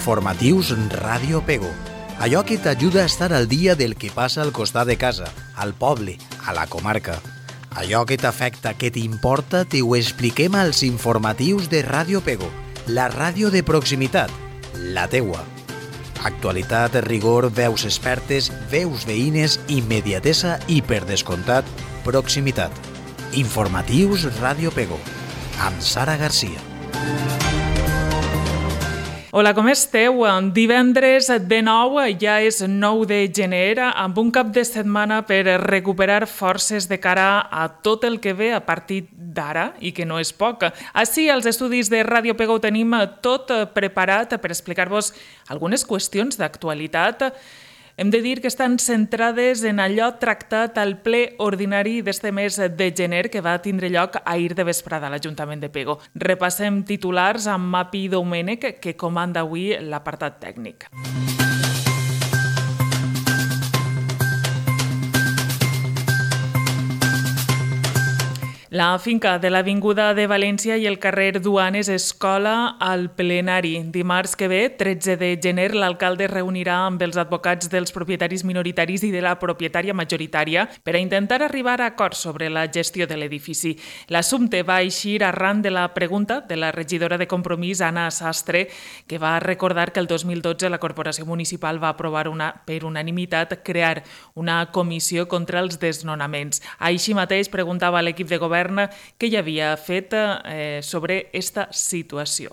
Informatius Ràdio Pego. Allò que t'ajuda a estar al dia del que passa al costat de casa, al poble, a la comarca. Allò que t'afecta, que t'importa, t'ho expliquem als informatius de Ràdio Pego, la ràdio de proximitat, la teua. Actualitat, rigor, veus expertes, veus veïnes, immediatesa i, per descomptat, proximitat. Informatius Ràdio Pego, amb Sara Garcia. Hola, com esteu? Divendres de nou, ja és 9 de gener, amb un cap de setmana per recuperar forces de cara a tot el que ve a partir d'ara, i que no és poc. Així, als estudis de Ràdio Pego tenim tot preparat per explicar-vos algunes qüestions d'actualitat. Hem de dir que estan centrades en allò tractat al ple ordinari d'este mes de gener que va tindre lloc ahir de vesprada a l'Ajuntament de Pego. Repassem titulars amb Mapi Domènech, que comanda avui l'apartat tècnic. La finca de l'Avinguda de València i el carrer Duanes Escola al plenari. Dimarts que ve, 13 de gener, l'alcalde es reunirà amb els advocats dels propietaris minoritaris i de la propietària majoritària per a intentar arribar a acords sobre la gestió de l'edifici. L'assumpte va eixir arran de la pregunta de la regidora de Compromís, Anna Sastre, que va recordar que el 2012 la Corporació Municipal va aprovar per unanimitat crear una comissió contra els desnonaments. Així mateix preguntava a l'equip de govern que hi havia fet sobre esta situació.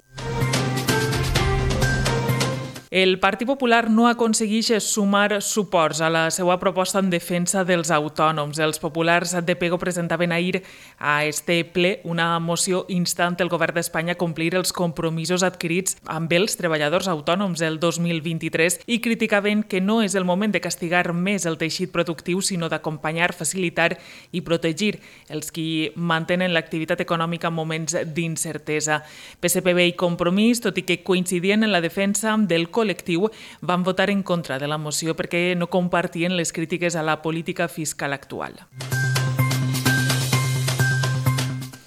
El Partit Popular no aconsegueix sumar suports a la seva proposta en defensa dels autònoms. Els populars de Pego presentaven ahir a este ple una moció instant el govern d'Espanya a complir els compromisos adquirits amb els treballadors autònoms el 2023 i criticaven que no és el moment de castigar més el teixit productiu, sinó d'acompanyar, facilitar i protegir els qui mantenen l'activitat econòmica en moments d'incertesa. PSPB i Compromís, tot i que coincidien en la defensa del col·lectiu, van votar en contra de la moció perquè no compartien les crítiques a la política fiscal actual.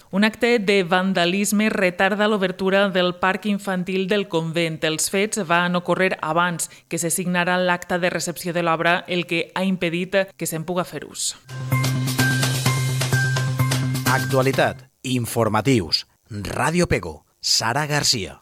Un acte de vandalisme retarda l'obertura del parc infantil del convent. Els fets van ocórrer abans que se signara l'acta de recepció de l'obra, el que ha impedit que se'n puga fer ús. Actualitat, informatius, Ràdio Pego, Sara Garcia.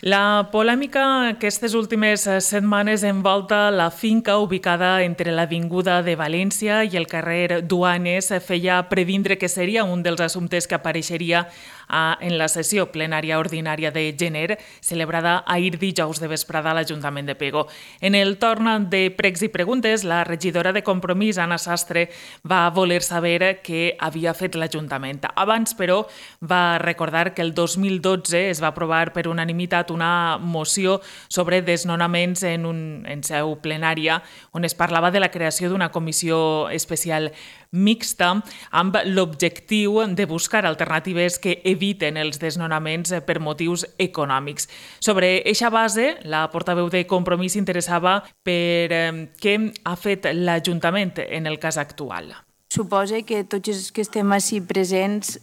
La polèmica aquestes últimes setmanes envolta la finca ubicada entre l'Avinguda de València i el carrer Duanes feia previndre que seria un dels assumptes que apareixeria en la sessió plenària ordinària de gener, celebrada ahir dijous de vesprada a l'Ajuntament de Pego. En el torn de pregs i preguntes, la regidora de Compromís, Anna Sastre, va voler saber què havia fet l'Ajuntament. Abans, però, va recordar que el 2012 es va aprovar per unanimitat una moció sobre desnonaments en seu plenària, on es parlava de la creació d'una comissió especial mixta amb l'objectiu de buscar alternatives que eviten els desnonaments per motius econòmics. Sobre eixa base, la portaveu de Compromís s'interessava per què ha fet l'Ajuntament en el cas actual. Suposa que tots els que estem així presents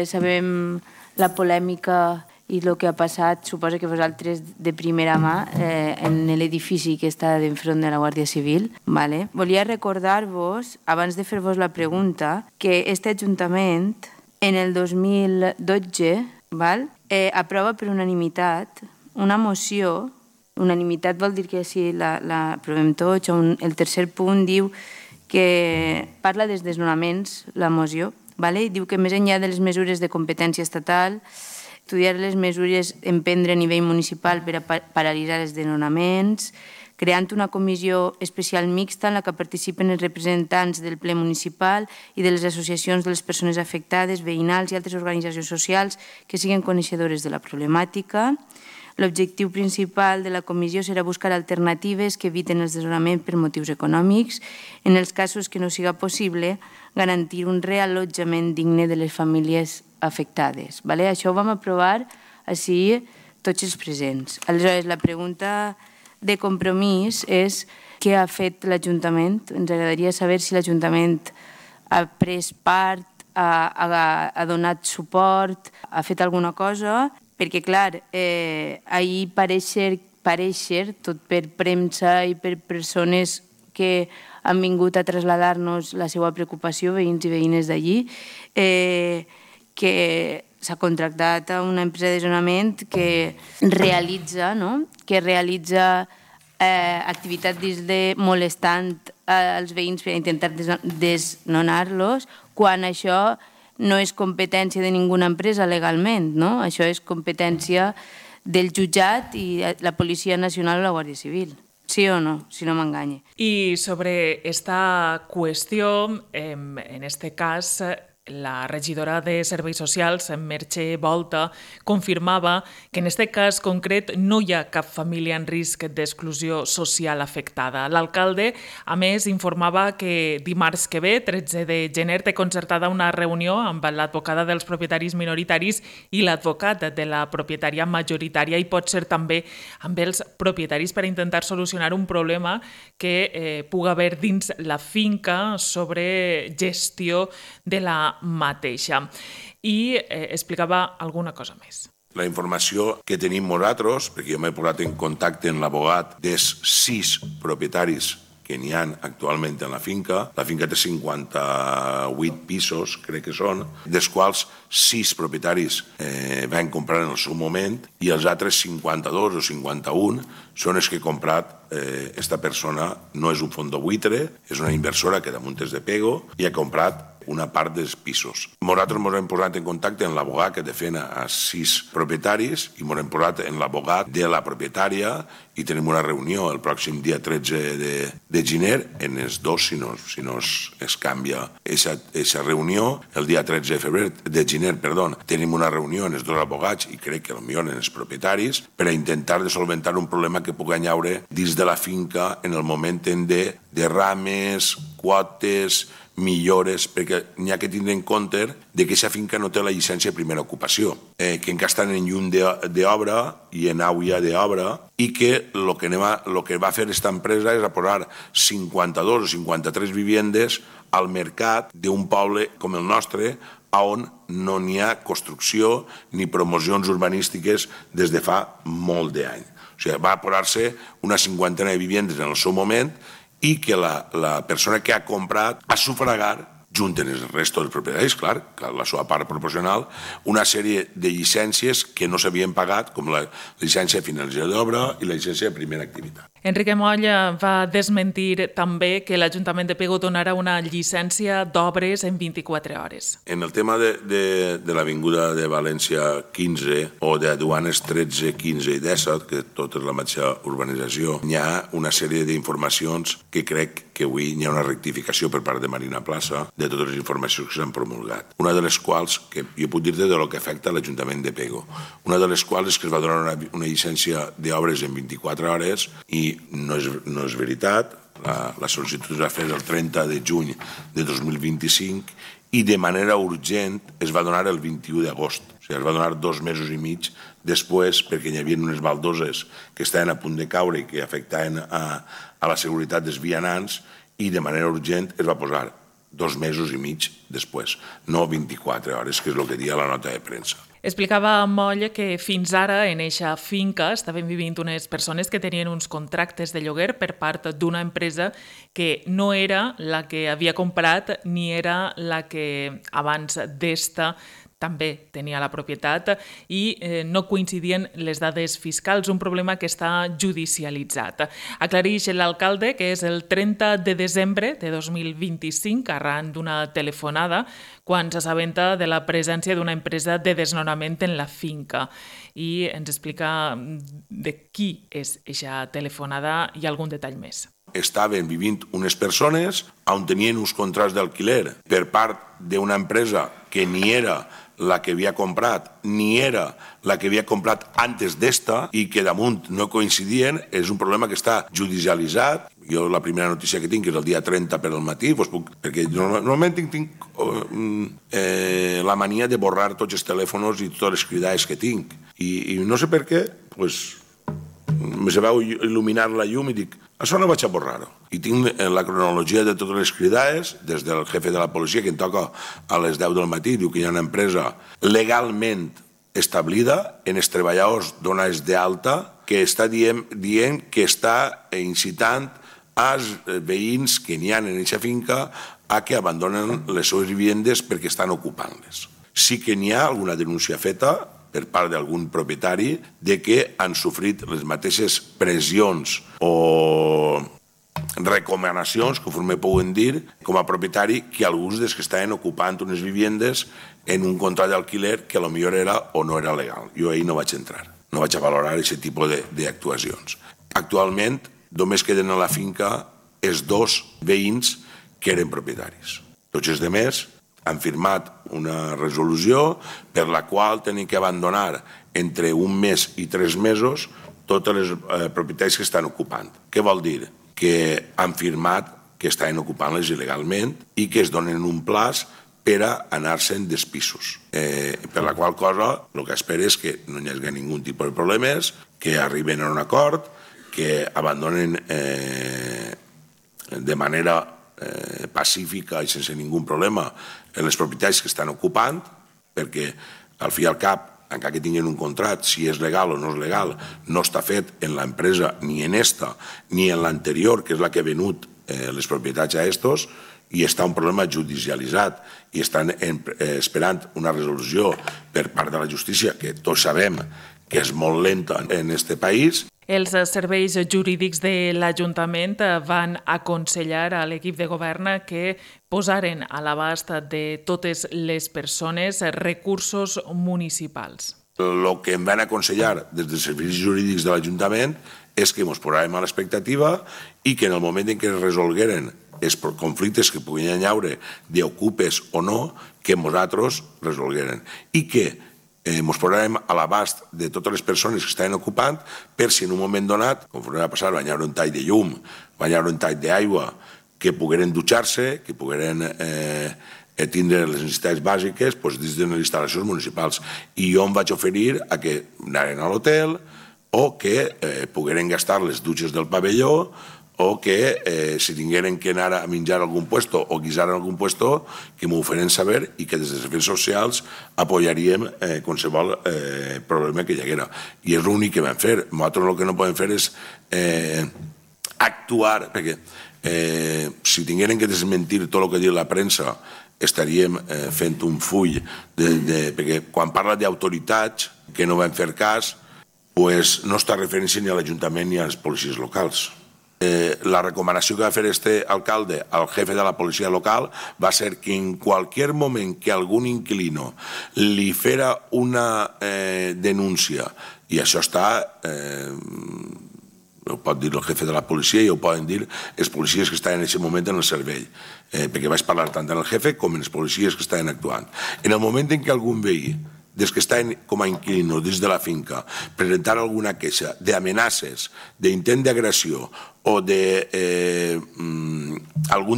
sabem la polèmica i el que ha passat, suposa que vosaltres de primera mà en l'edifici que està d'enfront de la Guàrdia Civil. Vale? Volia recordar-vos, abans de fer-vos la pregunta, que aquest Ajuntament en el 2012 aprova per unanimitat una moció. Unanimitat vol dir que si l'aprovem tots, el tercer punt diu que parla dels desnonaments, la moció. Diu que més enllà de les mesures de competència estatal, estudiar les mesures a emprendre a nivell municipal per a paralitzar els desnonaments, creant una comissió especial mixta en la que participen els representants del ple municipal i de les associacions de les persones afectades, veïnals i altres organitzacions socials que siguin coneixedores de la problemàtica. L'objectiu principal de la comissió serà buscar alternatives que eviten els desnonaments per motius econòmics. En els casos que no siga possible, garantir un reallotjament digne de les famílies afectades. Això ho vam aprovar així tots els presents. Aleshores, la pregunta de compromís és què ha fet l'Ajuntament. Ens agradaria saber si l'Ajuntament ha pres part, ha donat suport, ha fet alguna cosa, perquè, clar, ahir pareixer, tot per premsa i per persones que han vingut a traslladar-nos la seva preocupació, veïns i veïnes d'allí, que s'ha contractat a una empresa de desnonament que realitza activitat molestant als veïns per intentar desnonar-los, quan això no és competència de ninguna empresa legalment, no? Això és competència del jutjat i la Policia Nacional o la Guàrdia Civil. Sí o no, si no m'enganye. Y sobre esta cuestión, en este cas, la regidora de Serveis Socials, Merche Volta, confirmava que en aquest cas concret no hi ha cap família en risc d'exclusió social afectada. L'alcalde, a més, informava que dimarts que ve, 13 de gener, té concertada una reunió amb l'advocada dels propietaris minoritaris i l'advocat de la propietària majoritària i pot ser també amb els propietaris per intentar solucionar un problema que pugui haver dins la finca sobre gestió de la mateixa. I explicava alguna cosa més. La informació que tenim nosaltres, perquè jo m'he posat en contacte amb l'abogat dels 6 propietaris que n'hi ha actualment en la finca té 58 pisos, crec que són, dels quals 6 propietaris van comprar en el seu moment i els altres 52 o 51 són els que ha comprat esta persona. No és un fons de buitre, és una inversora que damunt és de Pego i ha comprat una part dels pisos. Nosaltres ens hem posat en contacte amb l'abogat que defèn a 6 propietaris i ens hem posat en l'abogat de la propietària i tenim una reunió el pròxim dia 13 de gener en els dos, si no es canvia aquesta reunió. El dia 13 de gener, tenim una reunió en els dos abogats i crec que potser en els propietaris per a intentar de solventar un problema que pugui haure dins de la finca en el moment de derrames, quotes, millores, perquè n'hi ha que tindre en compte que aquesta finca no té la llicència de primera ocupació, que encara estan en llum d'obra i en auia d'obra i que el que va fer aquesta empresa és posar 52 o 53 vivendes al mercat d'un poble com el nostre on no n'hi ha construcció ni promocions urbanístiques des de fa molt d'anys. O sigui, va posar-se una cinquantena de vivendes en el seu moment i que la persona que ha comprat ha sufragat, junt amb el resto dels propietaris, clar, la seva part proporcional, una sèrie de llicències que no s'havien pagat, com la llicència de finalització d'obra i la llicència de primera activitat. Enrique Molla va desmentir també que l'Ajuntament de Pego donarà una llicència d'obres en 24 hores. En el tema de l'Avinguda de València 15 o de Duanes 13, 15 i 17, que tot és la mateixa urbanització, hi ha una sèrie d'informacions que crec que avui hi ha una rectificació per part de Marina Plaça de totes les informacions que s'han promulgat. Una de les quals, que jo puc dir-te de lo que afecta l'Ajuntament de Pego, una de les quals és que es va donar una llicència d'obres en 24 hores i no és veritat. La sol·licitud es va fer el 30 de juny de 2025 i de manera urgent es va donar el 21 d'agost. O sigui, es va donar 2 mesos i mig després perquè hi havia unes baldoses que estaven a punt de caure i que afectaven a la seguretat dels vianants i de manera urgent es va posar 2 mesos i mig després, no 24 hores, que és el que dia la nota de premsa. Explicava Moll que fins ara en eixa finca estaven vivint unes persones que tenien uns contractes de lloguer per part d'una empresa que no era la que havia comprat ni era la que abans d'esta també tenia la propietat i no coincidien les dades fiscals, un problema que està judicialitzat. Aclareix l'alcalde que és el 30 de desembre de 2025, arran d'una telefonada, quan s'assabenta de la presència d'una empresa de desnonament en la finca. I ens explica de qui és aquesta telefonada i algun detall més. Estaven vivint unes persones on tenien uns contrats d'alquiler per part d'una empresa que ni era la que havia comprat, ni era la que havia comprat antes d'esta i que damunt no coincidien. És un problema que està judicialitzat. Jo la primera notícia que tinc és el dia 30 per al matí, perquè normalment tinc la mania de borrar tots els telèfons i totes les cridades que tinc. I no sé per què, se veu il·luminar la llum i dic, això no vaig a borrar-ho. I tinc la cronologia de totes les cridades, des del jefe de la policia, que em toca a les 10 del matí, diu que hi ha una empresa legalment establida en els treballadors donats d'alta que està dient que està incitant als veïns que n'hi ha en aquesta finca a que abandonen les seves vivendes perquè estan ocupant-les. Sí que n'hi ha alguna denúncia feta per part d'algun propietari de que han sofrit les mateixes pressions o recomanacions, conforme poden dir, com a propietari, que alguns dels que estaven ocupant unes vivendes en un contracte d'alquiler que potser era o no era legal. Jo ahir no vaig entrar, no vaig a valorar aquest tipus d'actuacions. Actualment, només queden a la finca els 2 veïns que eren propietaris. Tots els altres han firmat una resolució per la qual tenen que abandonar entre 1 mes i 3 mesos totes les propietats que estan ocupant. Què vol dir? Que han firmat que estaven ocupant-les il·legalment i que es donen un plaç per a anar-se'n dels pisos. Per la qual cosa, el que espero és que no hi hagi ningú tipus de problemes, que arriben a un acord, que abandonen de manera pacífica i sense ningú problema les propietats que estan ocupant, perquè al fi i al cap, encara que tinguin un contracte, si és legal o no és legal, no està fet en l'empresa ni en esta ni en l'anterior, que és la que ha venut les propietats a estos, i està un problema judicialitzat i estan esperant una resolució per part de la justícia, que tots sabem que és molt lenta en aquest país. Els serveis jurídics de l'Ajuntament van aconsellar a l'equip de govern que posaren a l'abast de totes les persones recursos municipals. El que em van aconsellar des dels serveis jurídics de l'Ajuntament és que ens posàrem a l'expectativa i que en el moment en què es resolgueren els conflictes que puguin haure d'ocupes o no, que nosaltres resolgueren. I que ens posarem a l'abast de totes les persones que estaven ocupant per si en un moment donat, com va passar, va haver un tall de llum, va haver un tall d'aigua, que pogueren dutxar-se, que pogueren tindre les necessitats bàsiques dins de les instal·lacions municipals. I jo em vaig oferir a que anaren a l'hotel o que pogueren gastar les dutxes del pavelló o que si tingueren que anar a menjar a algun puesto o guisar a algun puesto, que m'ho feren saber i que des dels serveis socials apoyaríem qualsevol problema que hi haguera. I és l'únic que vam fer. Nosaltres el que no podem fer és actuar, perquè si tingueren que desmentir tot el que diu la premsa, estaríem fent un full, perquè quan parla d'autoritats que no van fer cas, no està referència ni a l'Ajuntament ni a les policies locals. La recomanació que va fer este alcalde al jefe de la policia local va ser que en cualquier moment que algun inquilino li fera una denúncia, i això està, ho pot dir el jefe de la policia i ho poden dir els policies que estaven en aquest moment en el servei, perquè vaig parlar tant amb el jefe com amb els policies que estaven actuant. En el moment en què algun veí, des que estaven com a inquilinos dins de la finca, presentar alguna queixa d'amenaces, d'intent d'agressió o d'algun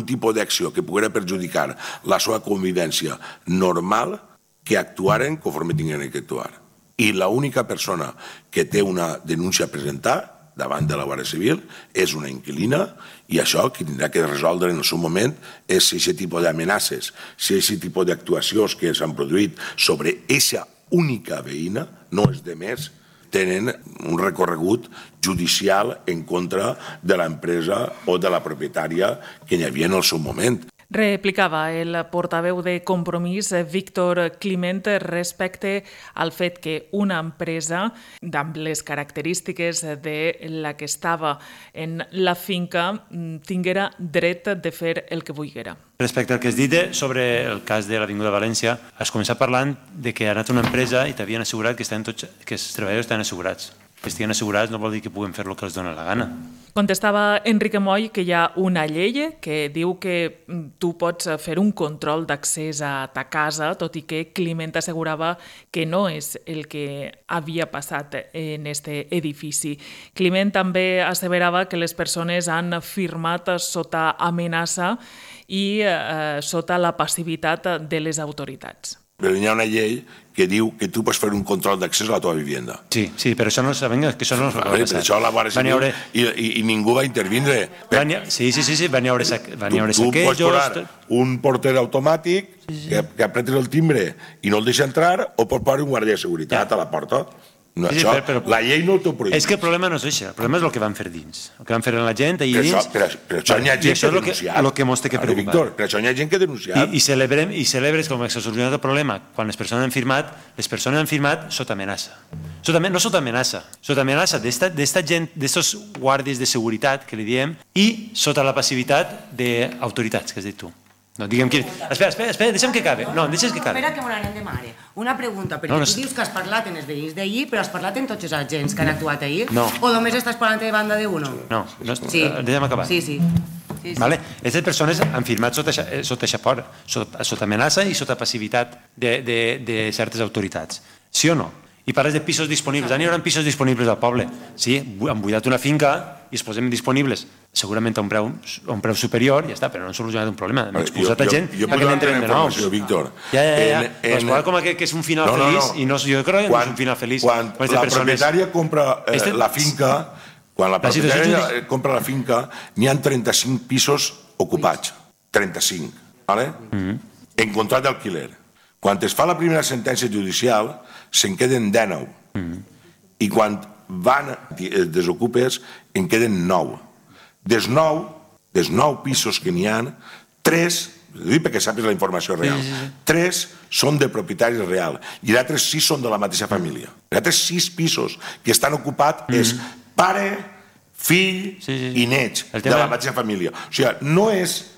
tipus d'acció que poguera perjudicar la seva convivència normal, que actuaren conforme tingueren que actuar. I l'única persona que té una denúncia a presentar davant de la Guàrdia Civil és una inquilina, i això qui tindrà que resoldre en el seu moment és si aquest tipus d'amenaces, si aquest tipus d'actuacions que s'han produït sobre aquesta única veïna, no és de més, tenen un recorregut judicial en contra de l'empresa o de la propietària que hi havia en el seu moment. Replicava el portaveu de Compromís, Víctor Climent, respecte al fet que una empresa amb les característiques de la que estava en la finca tinguera dret de fer el que volguera. Respecte al que has dit sobre el cas de l'Avinguda València, has començat parlant de que ha anat una empresa i t'havien assegurat que els treballadors estan assegurats. Que estiguin assegurats no vol dir que puguen fer el que els dona la gana. Contestava Enrique Moll que hi ha una llei que diu que tu pots fer un control d'accés a ta casa, tot i que Climent assegurava que no és el que havia passat en este edifici. Climent també asseverava que les persones han firmat sota amenaça i sota la passivitat de les autoritats. Però hi ha una llei que diu que tu pots fer un control d'accés a la teva vivenda. Sí, però això no és el que va passar. Per això la Guàrdia Civil i ningú va intervindre. Sí, van hi haure saquejos. Tu pots posar un porter automàtic que apretes el timbre i no el deixa entrar, o pots posar un guàrdia de seguretat a la porta. No, sí, això, la llei no t'ho prohibeix. És que el problema no és això, el problema és el que van fer dins, el que van fer la gent allà dins. Per això n'hi ha gent que ha denunciat. El que ens té que preocupar. Víctor, per això n'hi ha gent que ha denunciat. I celebres com que s'ha solucionat el problema quan les persones han firmat sota amenaça. No sota amenaça d'esta gent, d'estos guàrdies de seguretat, que li diem, i sota la passivitat d'autoritats, que has dit tu. No, diguem que... Espera, deixa'm que acabi. No, deixa'm que acabi. Espera que me n'anem de mare. Una pregunta, perquè tu dius que has parlat amb els veïns d'ahir, però has parlat amb tots els agents que han actuat ahir? No. O només estàs parlant de banda d'uno? No, deixa'm acabar. Sí. Aquestes persones han firmat sota amenaça i sota passivitat de certes autoritats. Sí o no? I parles de pisos disponibles. Ara hi haurà pisos disponibles al poble. Sí, han buidat una finca i es posem disponibles segurament a un preu superior, i ja està, però no han solucionat un problema. Hem expulsat a gent perquè n'entren de nous. Ja. Però com que és un final feliç, i jo crec que no és un final feliç. Quan la propietària compra la finca, n'hi ha 35 pisos ocupats. 35, en contracte d'alquiler. Quan es fa la primera sentència judicial, se'n queden 19. I quan van desocupes, en queden 9. Dels 9 pisos que n'hi ha, 3, perquè sàpigues la informació real, 3 són de propietaris real i els altres 6 són de la mateixa família. Els altres 6 pisos que estan ocupats és pare, fill i nets de la mateixa família. O sigui, no és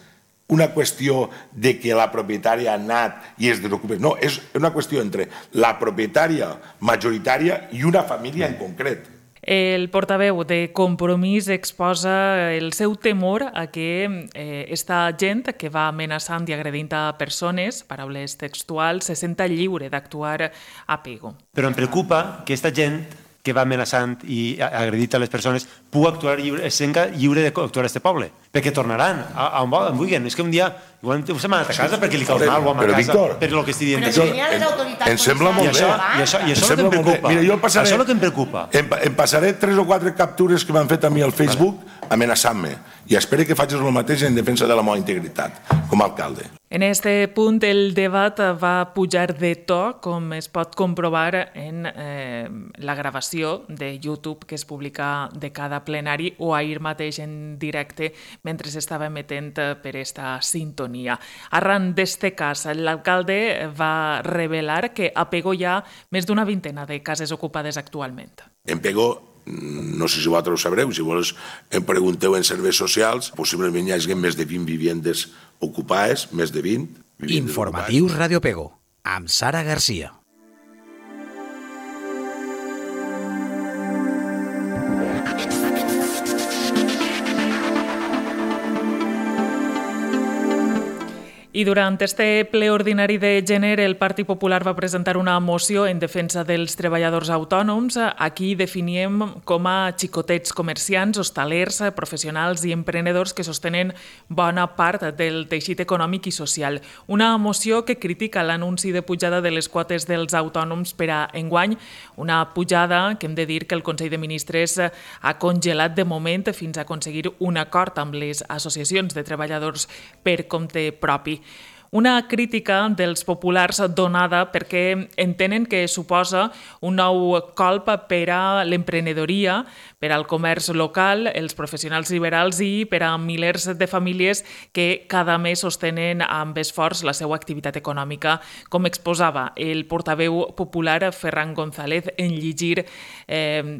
una qüestió de que la propietària ha anat i es desocupa. No, és una qüestió entre la propietària majoritària i una família en concret. El portaveu de Compromís exposa el seu temor a que esta gent que va amenaçant i agredint a persones, paraules textuals, se senta lliure d'actuar a pego. Però em preocupa que aquesta gent que va amenaçant i agredint a les persones pugui actuar lliure, es senta lliure d'actuar a aquest poble, perquè tornaran a on vulguin. És que un dia se m'ha anat a casa perquè li caus mal o a casa per el que estic dient. Em sembla molt bé. I això és el que em preocupa. Això és el que em preocupa. Em passaré 3 o 4 captures que m'han fet a mi al Facebook amenaçant-me, i espero que facis el mateix en defensa de la meva integritat com a alcalde. En este punt el debat va pujar de to, com es pot comprovar en la gravació de YouTube que es publica de cada plenari o ahir mateix en directe mentre s'estava emetent per esta sintonia. Arran d'este cas, l'alcalde va revelar que a Pego hi ha més d'una vintena de cases ocupades actualment. En Pego, no sé si vosaltres ho sabreu, si vols em pregunteu en serveis socials, possiblement hi hagi més de 20 vivendes ocupades, més de 20. Informatius Radio Pego, amb Sara Garcia. I durant este ple ordinari de gener, el Partit Popular va presentar una moció en defensa dels treballadors autònoms. Aquí definíem com a xicotets comerciants, hostalers, professionals i emprenedors que sostenen bona part del teixit econòmic i social. Una moció que critica l'anunci de pujada de les quotes dels autònoms per a enguany, una pujada que hem de dir que el Consell de Ministres ha congelat de moment fins a aconseguir un acord amb les associacions de treballadors per compte propi. Una crítica dels populars donada perquè entenen que suposa un nou colp per a l'emprenedoria, per al comerç local, els professionals liberals i per a milers de famílies que cada mes sostenen amb esforç la seva activitat econòmica, com exposava el portaveu popular Ferran González en llegir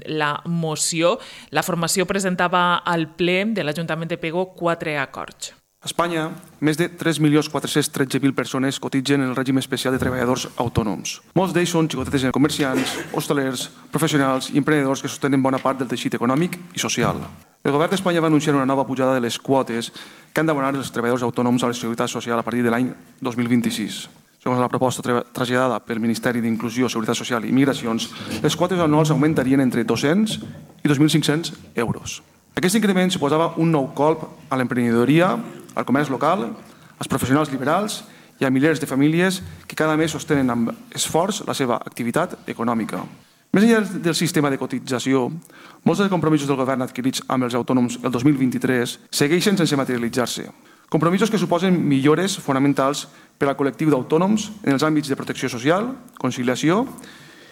la moció. La formació presentava al ple de l'Ajuntament de Pego 4 acords. A Espanya, més de 3.413.000 persones cotitzen en el règim especial de treballadors autònoms. Molts d'ells són xicotetes comerciants, hostalers, professionals i emprenedors que sostenen bona part del teixit econòmic i social. El govern d'Espanya va anunciar una nova pujada de les quotes que han d'abonar els treballadors autònoms a la Seguretat Social a partir de l'any 2026. Segons la proposta traslladada pel Ministeri d'Inclusió, Seguretat Social i Migracions, les quotes anuals augmentarien entre 200 i 2.500 euros. Aquest increment suposava un nou colp a l'emprenedoria, al comerç local, als professionals liberals Hi ha milers de famílies que cada mes sostenen amb esforç la seva activitat econòmica. Més enllà del sistema de cotització, molts dels compromisos del govern adquirits amb els autònoms el 2023 segueixen sense materialitzar-se. Compromisos que suposen millores fonamentals per al col·lectiu d'autònoms en els àmbits de protecció social, conciliació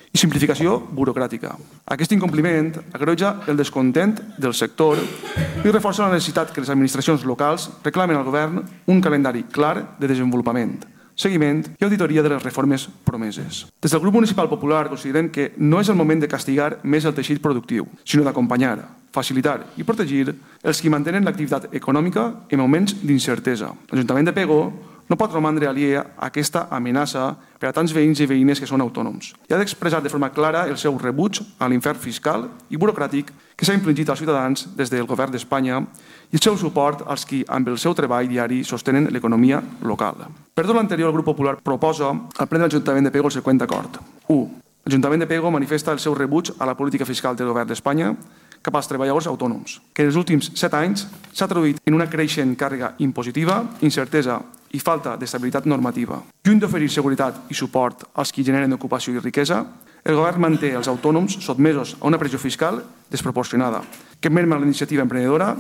i simplificació burocràtica. Aquest incompliment agreuja el descontent del sector i reforça la necessitat que les administracions locals reclamen al govern un calendari clar de desenvolupament, seguiment i auditoria de les reformes promeses. Des del grup municipal popular considerem que no és el moment de castigar més el teixit productiu, sinó d'acompanyar, facilitar i protegir els que mantenen l'activitat econòmica en moments d'incertesa. L'Ajuntament de Pego no pot romandre aliè a aquesta amenaça per a tants veïns i veïnes que són autònoms i ha d'expressar de forma clara el seu rebuig a l'infern fiscal i burocràtic que s'ha infligit als ciutadans des del govern d'Espanya i el seu suport als qui, amb el seu treball diari, sostenen l'economia local. Per tot l'anterior, el grup popular proposa al ple de l'Ajuntament de Pego el següent acord. 1. L'Ajuntament de Pego manifesta el seu rebuig a la política fiscal del govern d'Espanya cap als treballadors autònoms, que en els últims 7 anys s'ha traduït en una creixent càrrega impositiva, incertesa i falta d'estabilitat normativa. Lluny d'oferir seguretat i suport als qui generen ocupació i riquesa, el govern manté els autònoms sotmesos a una pressió fiscal desproporcionada, que merma la iniciativa emprenedora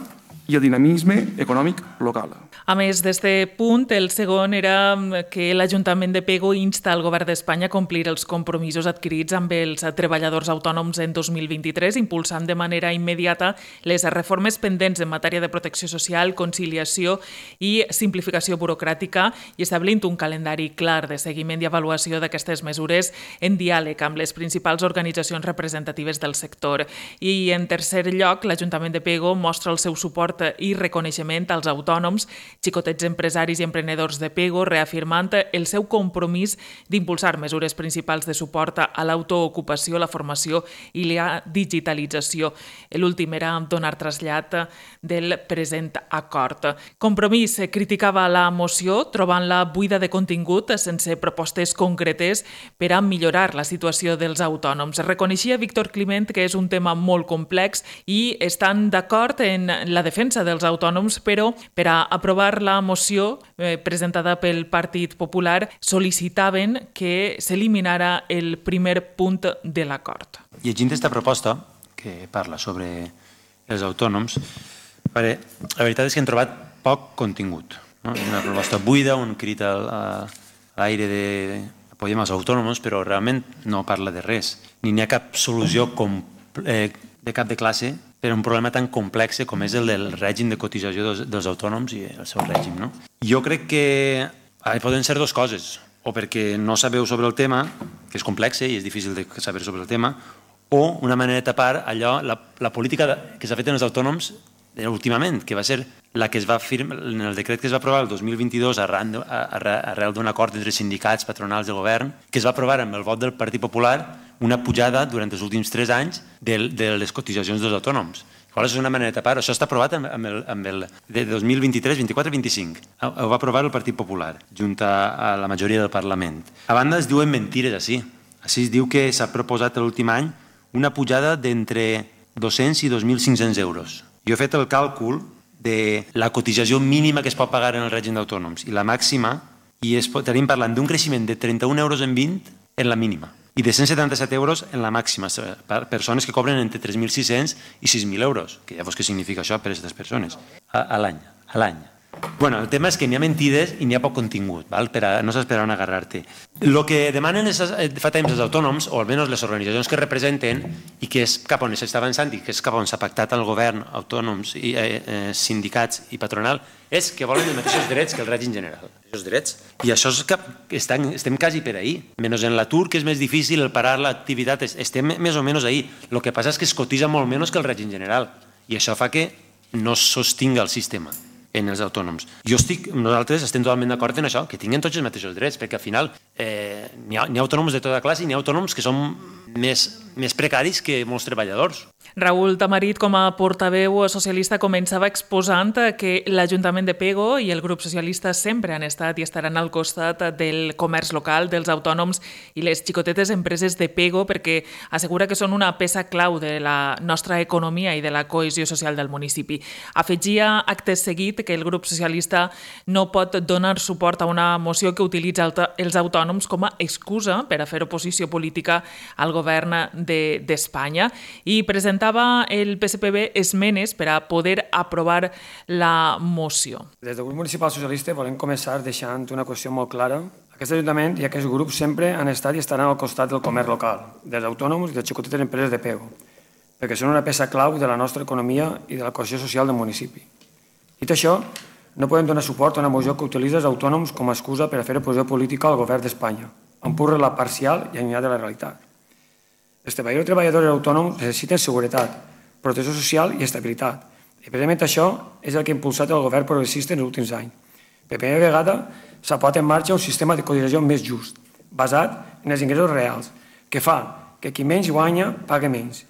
i el dinamisme econòmic local. A més d'este punt, el segon era que l'Ajuntament de Pego insta al Govern d'Espanya a complir els compromisos adquirits amb els treballadors autònoms en 2023, impulsant de manera immediata les reformes pendents en matèria de protecció social, conciliació i simplificació burocràtica i establint un calendari clar de seguiment i avaluació d'aquestes mesures en diàleg amb les principals organitzacions representatives del sector. I, en tercer lloc, l'Ajuntament de Pego mostra el seu suport i reconeixement als autònoms, xicotets empresaris i emprenedors de Pego, reafirmant el seu compromís d'impulsar mesures principals de suport a l'autoocupació, la formació i la digitalització. L'últim era donar trasllat del present acord. Compromís criticava la moció, trobant-la buida de contingut, sense propostes concretes per a millorar la situació dels autònoms. Reconeixia Víctor Climent que és un tema molt complex i estan d'acord en la defensa dels autònoms, però per a aprovar la moció presentada pel Partit Popular sol·licitaven que s'eliminara el primer punt de l'acord. Llegint aquesta proposta, que parla sobre els autònoms, la veritat és que hem trobat poc contingut. Una proposta buida, un crit a l'aire de apoyem els autònoms, però realment no parla de res. Ni n'hi ha cap solució de cap de classe per a un problema tan complex com és el del règim de cotització dels autònoms i el seu règim. Jo crec que poden ser dues coses, o perquè no sabeu sobre el tema, que és complex i és difícil de saber sobre el tema, o una manera de tapar allò, la política que s'ha fet en els autònoms últimament, que va ser la que es va firmar en el decret que es va aprovar el 2022 arrel d'un acord entre sindicats, patronals i govern, que es va aprovar amb el vot del Partit Popular una pujada durant els últims 3 anys de les cotitzacions dels autònoms. Això és una manera de tapar. Això està aprovat amb el de 2023, 24 i 25. Ho va aprovar el Partit Popular, junt a la majoria del Parlament. A banda es diuen mentires així. Així es diu que s'ha proposat l'últim any una pujada d'entre 200 i 2.500 euros. Jo he fet el càlcul de la cotització mínima que es pot pagar en el règim d'autònoms i la màxima, i estaríem parlant d'un creixement de 31 euros en 20 en la mínima i de 177 euros en la màxima, per persones que cobren entre 3.600 i 6.000 euros, que llavors què significa això per a aquestes persones? A l'any. Bueno, el tema és que n'hi ha mentides i n'hi ha poc contingut, no saps per on agarrar-te. El que demanen fa temps els autònoms, o almenys les organitzacions que representen, i que és cap on s'està avançant i que és cap on s'ha pactat el govern, autònoms, sindicats i patronal, és que volen els mateixos drets que el règim general. Els drets. I això és que estem quasi per ahir. Menys en l'atur, que és més difícil el parar l'activitat, estem més o menys ahir. El que passa és que es cotitza molt menys que el règim general. I això fa que no sostinga el sistema en els autònoms. Nosaltres estem totalment d'acord en això, que tinguin tots els mateixos drets, perquè al final n'hi ha autònoms de tota classe i n'hi ha autònoms que són més precaris que molts treballadors. Raül Tamarit, com a portaveu socialista, començava exposant que l'Ajuntament de Pego i el grup socialista sempre han estat i estaran al costat del comerç local, dels autònoms i les xicotetes empreses de Pego, perquè assegura que són una peça clau de la nostra economia i de la cohesió social del municipi. Afegia acte seguit que el grup socialista no pot donar suport a una moció que utilitza els autònoms com a excusa per a fer oposició política al govern d'Espanya i presentava el PSPB esmenes per a poder aprovar la moció. Des del grup municipal socialista volem començar deixant una qüestió molt clara. Aquest Ajuntament i aquest grup sempre han estat i estaran al costat del comerç local, dels autònoms i de les xicotetes empreses de Pego, perquè són una peça clau de la nostra economia i de la cohesió social del municipi. Dit això, no podem donar suport a una moció que utilitza els autònoms com a excusa per a fer oposició política al govern d'Espanya, empurra-la parcial i allunyada de la realitat. Els treballadors i treballadores autònoms necessiten seguretat, protecció social i estabilitat. I precisament això és el que ha impulsat el govern progressista en els últims anys. Per primera vegada s'ha posat en marxa un sistema de cotització més just, basat en els ingressos reals, que fa que qui menys guanya paga menys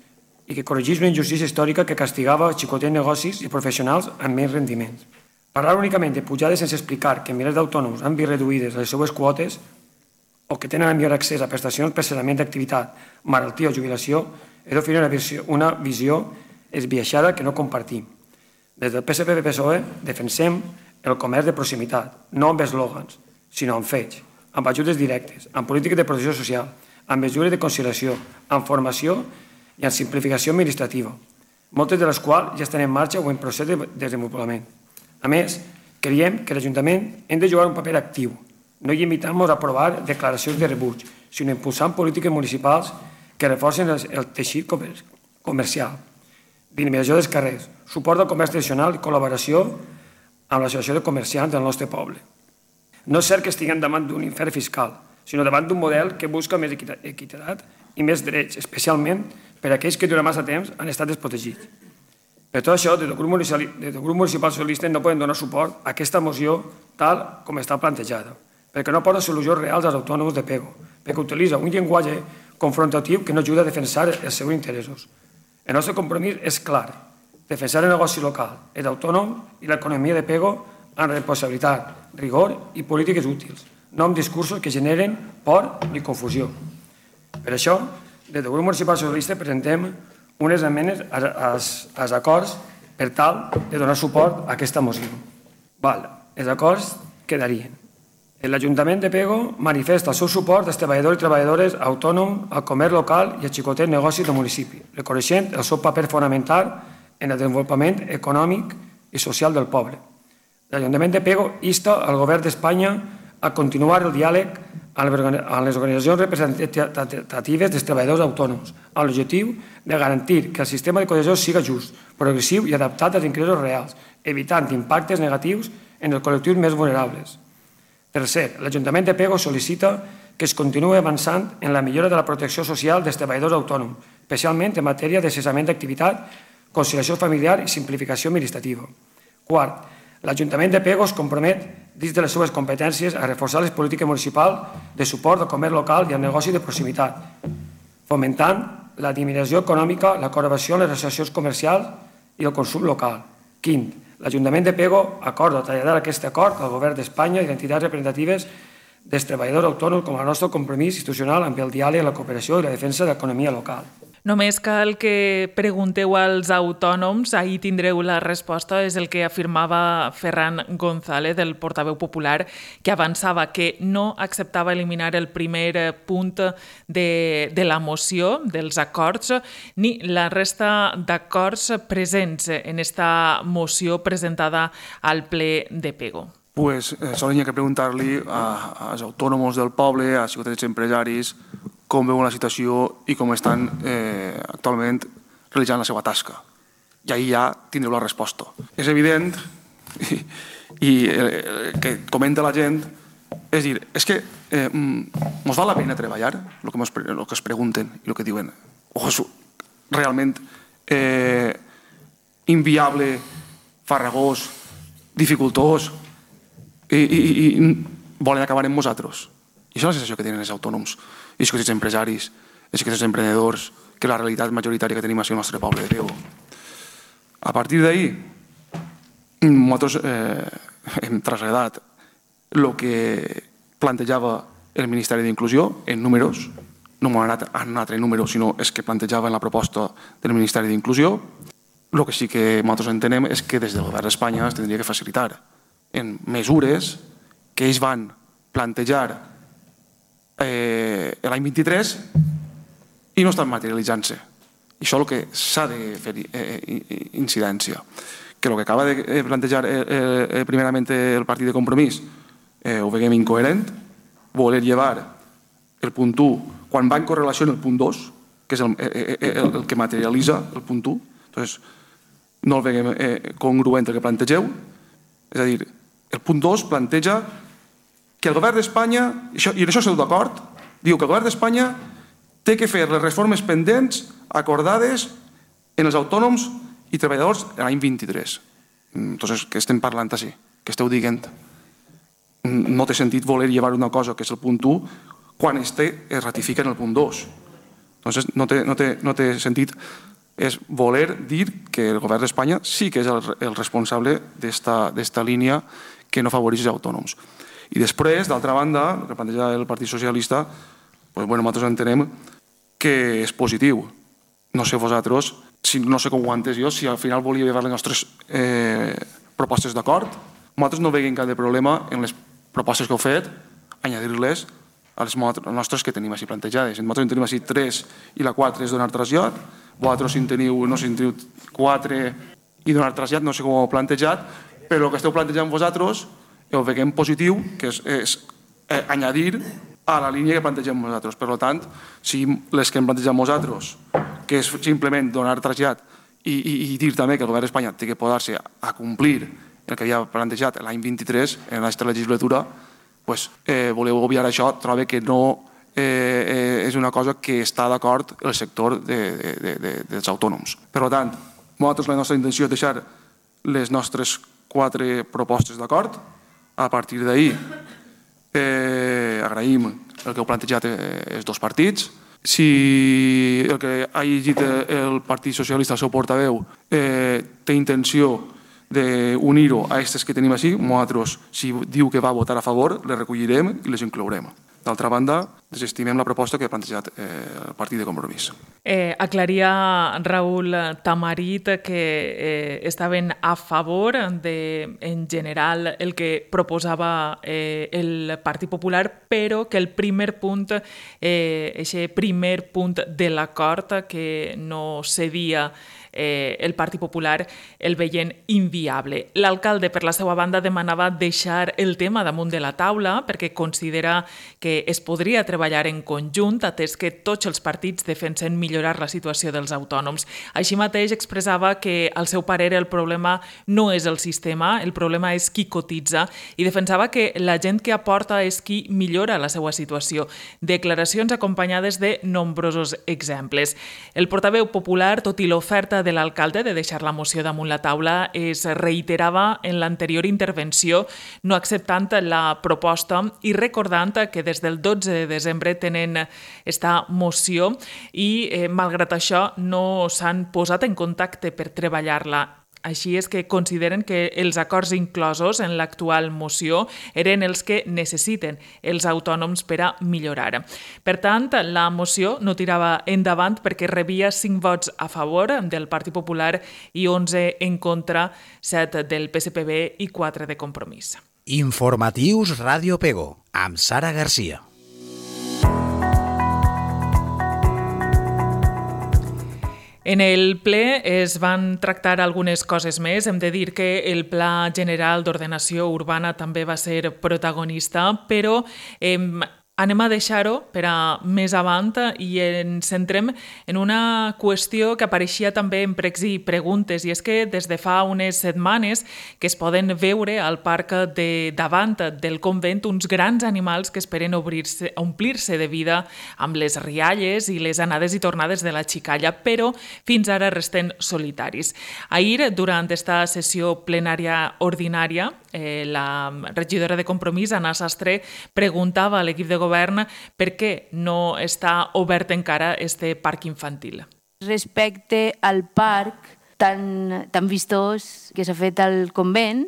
i que corregeix una injustícia històrica que castigava xicotets negocis i professionals amb menys rendiments. Parlar únicament de pujades sense explicar que milers d'autònoms han vist reduïdes les seues quotes o que tenen millor accés a prestacions per cessament d'activitat, malaltia o jubilació, és d'oferir una visió esbiaixada que no compartim. Des del PSPB-PSOE defensem el comerç de proximitat, no amb eslògans, sinó amb fets, amb ajudes directes, amb polítiques de protecció social, amb mesures de conciliació, amb formació i amb simplificació administrativa, moltes de les quals ja estan en marxa o en procés de desenvolupament. A més, creiem que l'Ajuntament hem de jugar un paper actiu, no limitant-nos a aprovar declaracions de rebuig, sinó impulsant polítiques municipals que reforcen el teixit comercial, dinamització dels carrers, suport al comerç tradicional i col·laboració amb l'associació de comerciants del nostre poble. No és cert que estiguem davant d'un infern fiscal, sinó davant d'un model que busca més equitat i més drets, especialment per a aquells que durant massa temps han estat desprotegits. Per tot això, des del grup municipal socialista no podem donar suport a aquesta moció tal com està plantejada, perquè no posa solucions reals als autònoms de Pego, perquè utilitza un llenguatge confrontatiu que no ajuda a defensar els seus interessos. El nostre compromís és clar, defensar el negoci local, els autònoms i l'economia de Pego amb responsabilitat, rigor i polítiques útils, no amb discursos que generen por ni confusió. Per això, des del grup municipal socialista presentem unes esmenes als acords per tal de donar suport a aquesta moció. Els acords quedarien. L'Ajuntament de Pego manifesta el seu suport als treballadors i treballadores autònoms, al comerç local i als xicotets negocis del municipi, reconeixent el seu paper fonamental en el desenvolupament econòmic i social del poble. L'Ajuntament de Pego insta al govern d'Espanya a continuar el diàleg amb les organitzacions representatives dels treballadors autònoms, amb l'objectiu de garantir que el sistema de cotització siga just, progressiu i adaptat als ingressos reals, evitant impactes negatius en els col·lectius més vulnerables. Tercer, l'Ajuntament de Pego sol·licita que es continuï avançant en la millora de la protecció social dels treballadors autònoms, especialment en matèria de cessament d'activitat, conciliació familiar i simplificació administrativa. Quart, l'Ajuntament de Pego es compromet, dins de les seves competències, a reforçar les polítiques municipals de suport al comerç local i al negoci de proximitat, fomentant la dinamització econòmica, la col·laboració amb les associacions comercials i el consum local. Quint, l'Ajuntament de Pego acorda traslladar aquest acord al govern d'Espanya i a entitats representatives dels treballadors autònoms com el nostre compromís institucional amb el diàleg, la cooperació i la defensa de l'economia local. Només cal que pregunteu als autònoms, ahir tindreu la resposta, és el que afirmava Ferran González, el portaveu popular, que avançava que no acceptava eliminar el primer punt de la moció, dels acords, ni la resta d'acords presents en esta moció presentada al ple de Pego. Pues solo hi ha que preguntar-li als autònoms del poble, als xicotets empresaris, com veuen la situació i com estan actualment realitzant la seva tasca. I ahir ja tindreu la resposta. És evident, i que comenta la gent, és dir, és que ens val la pena treballar, el que es pregunten i el que diuen. O és realment inviable, farragós, dificultós, i volen acabar amb nosaltres. I això és la sensació que tenen els autònoms, i els empresaris, els emprenedors, que la realitat majoritària que tenim al nostre poble de Pego. A partir d'ahir, nosaltres hem traslladat el que plantejava el Ministeri d'Inclusió en números, no m'ha anat a un altre número, sinó és que plantejava en la proposta del Ministeri d'Inclusió. El que sí que nosaltres entenem és que des del govern d'Espanya es tindria que facilitar en mesures que ells van plantejar l'any 23 i no estan materialitzant-se. I això és el que s'ha de fer incidència. Que el que acaba de plantejar primerament el partit de Compromís ho veiem incoherent, voler llevar el punt 1 quan va en correlació amb el punt 2, que és el que materialitza el punt 1, doncs no el veiem congruent el que plantegeu. És a dir, el punt 2 planteja que el govern d'Espanya, i en això esteu d'acord, diu que el govern d'Espanya té que fer les reformes pendents acordades en els autònoms i treballadors l'any 23. Entonces, què estem parlant així? Què esteu dient? No té sentit voler llevar una cosa que és el punt 1 quan es ratifica en el punt 2. Entonces, no té sentit. És voler dir que el govern d'Espanya sí que és el responsable d'esta línia que no afavoreix els autònoms. I després, d'altra banda, el que planteja el Partit Socialista, nosaltres entenem que és positiu. No sé vosaltres, no sé com ho he entès jo, si al final volia llevar les nostres propostes d'acord. Nosaltres no veiem cap de problema en les propostes que heu fet, añadir-les a les nostres que tenim així plantejades. Nosaltres en tenim així 3 i la 4 és donar trasllat. Vosaltres si en teniu 4 i donar trasllat, no sé com ho heu plantejat, però el que esteu plantejant vosaltres ho veiem positiu, que és añadir a la línia que plantegem nosaltres. Per tant, si les que hem plantejat nosaltres, que és simplement donar trasllat i dir també que el govern d'Espanya té que posar-se a complir el que havia plantejat l'any 23 en aquesta legislatura, voleu obviar això, trobo que no és una cosa que està d'acord el sector dels autònoms. Per tant, nosaltres la nostra intenció és deixar les nostres 4 propostes d'acord. A partir d'ahir agraïm el que heu plantejat els dos partits. Si el que ha llegit el Partit Socialista, el seu portaveu, té intenció d'unir-ho a aquestes que tenim així, nosaltres, si diu que va votar a favor, les recollirem i les inclourem. D'altra banda, desestimem la proposta que ha plantejat el Partit de Compromís. Aclaria Raül Tamarit que estaven a favor de, en general, el que proposava el Partit Popular, però que el primer punt, aquest primer punt de l'acord que no cedia el Partit Popular, el veien inviable. L'alcalde, per la seva banda, demanava deixar el tema damunt de la taula perquè considera que es podria treballar en conjunt, atès que tots els partits defensen millorar la situació dels autònoms. Així mateix expressava que, al seu parer, el problema no és el sistema, el problema és qui cotitza, i defensava que la gent que aporta és qui millora la seva situació. Declaracions acompanyades de nombrosos exemples. El portaveu popular, tot i l'oferta de l'alcalde de deixar la moció damunt la taula, es reiterava en l'anterior intervenció, no acceptant la proposta i recordant que des del 12 de desembre tenen esta moció i, malgrat això, no s'han posat en contacte per treballar-la. Així és que consideren que els acords inclosos en l'actual moció eren els que necessiten els autònoms per a millorar. Per tant, la moció no tirava endavant perquè rebia 5 vots a favor del Partit Popular i 11 en contra, 7 del PSPB i 4 de Compromís. Informatius Ràdio Pego, amb Sara Garcia. En el ple es van tractar algunes coses més. Hem de dir que el Pla General d'Ordenació Urbana també va ser protagonista, però anem a deixar-ho per a més avant i ens centrem en una qüestió que apareixia també en pregs i preguntes, i és que des de fa unes setmanes que es poden veure al parc de davant del convent uns grans animals que esperen omplir-se de vida amb les rialles i les anades i tornades de la xicalla, però fins ara resten solitaris. Ahir, durant esta sessió plenària ordinària, la regidora de Compromís, Anna Sastre, preguntava a l'equip de govern per què no està obert encara este parc infantil. Respecte al parc tan vistós que s'ha fet al convent,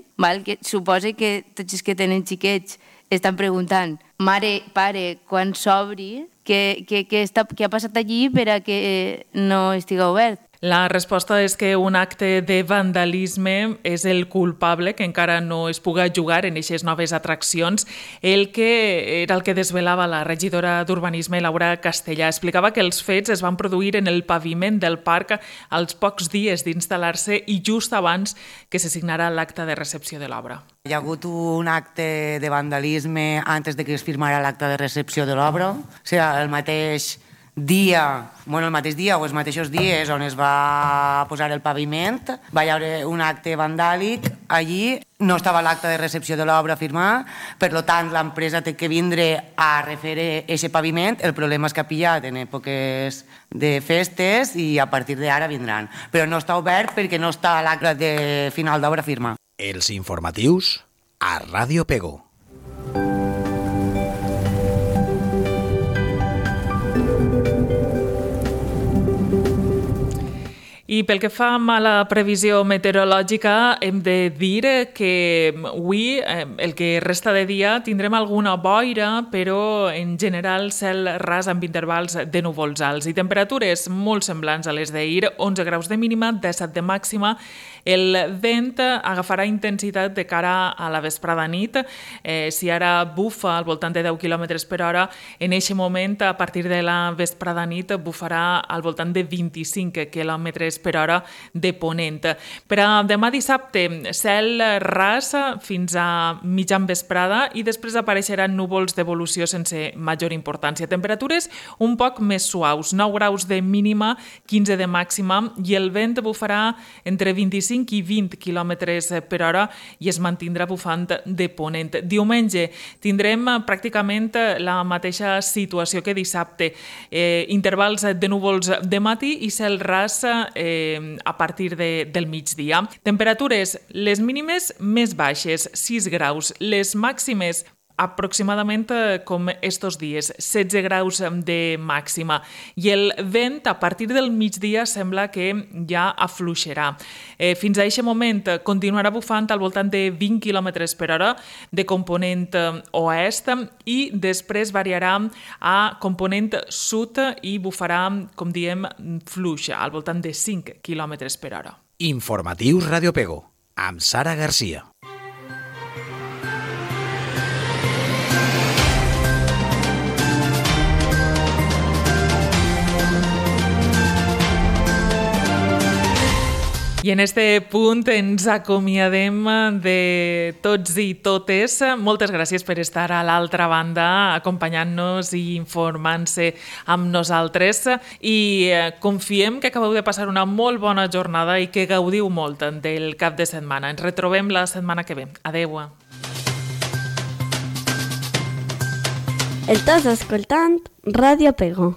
que suposa que tots els que tenen xiquets estan preguntant, mare, pare, quan s'obri, què ha passat allí per a que no estigui obert? La resposta és que un acte de vandalisme és el culpable, que encara no es puga jugar en aquestes noves atraccions. El que desvelava la regidora d'Urbanisme, Laura Castellà. Explicava que els fets es van produir en el paviment del parc als pocs dies d'instal·lar-se i just abans que se signara l'acte de recepció de l'obra. Hi ha hagut un acte de vandalisme antes de que es firmara l'acte de recepció de l'obra, o sigui, el mateix dia o els mateixos dies on es va posar el paviment, va haver un acte vandàlic allí, no estava l'acte de recepció de l'obra a firmar, per tant l'empresa té que vindre a refer aquest paviment, el problema és que ha pillat en èpoques de festes i a partir d'ara vindran, però no està obert perquè no està l'acte de final d'obra a firmar. Els informatius a Ràdio Pego. I pel que fa a la previsió meteorològica, hem de dir que avui, el que resta de dia, tindrem alguna boira, però en general cel ras amb intervals de núvols alts i temperatures molt semblants a les d'ahir, 11 graus de mínima, 17 de màxima. El vent agafarà intensitat de cara a la vesprada nit. Si ara bufa al voltant de 10 km per hora, en aquest moment, a partir de la vesprada nit, bufarà al voltant de 25 km per hora de ponent. Per a demà dissabte, cel ras fins a mitjan vesprada i després apareixeran núvols d'evolució sense major importància. Temperatures un poc més suaus, 9 graus de mínima, 15 de màxima i el vent bufarà entre 25 i 20 km per hora i es mantindrà bufant de ponent. Diumenge tindrem pràcticament la mateixa situació que dissabte. Intervals de núvols de matí i cel ras a partir del migdia. Temperatures, les mínimes més baixes, 6 graus, les màximes aproximadament com estos dies, 16 graus de màxima. I el vent a partir del migdia sembla que ja afluixarà. Fins a aquest moment continuarà bufant al voltant de 20 km per hora de component oest i després variarà a component sud i bufarà, com diem, fluix, al voltant de 5 km per hora. Informatius Ràdio Pego, amb Sara Garcia. I en este punt ens acomiadem de tots i totes. Moltes gràcies per estar a l'altra banda, acompanyant-nos i informant-se amb nosaltres. I confiem que acabeu de passar una molt bona jornada i que gaudiu molt del cap de setmana. Ens retrobem la setmana que ve. Adeu. Estàs escoltant Ràdio Pego.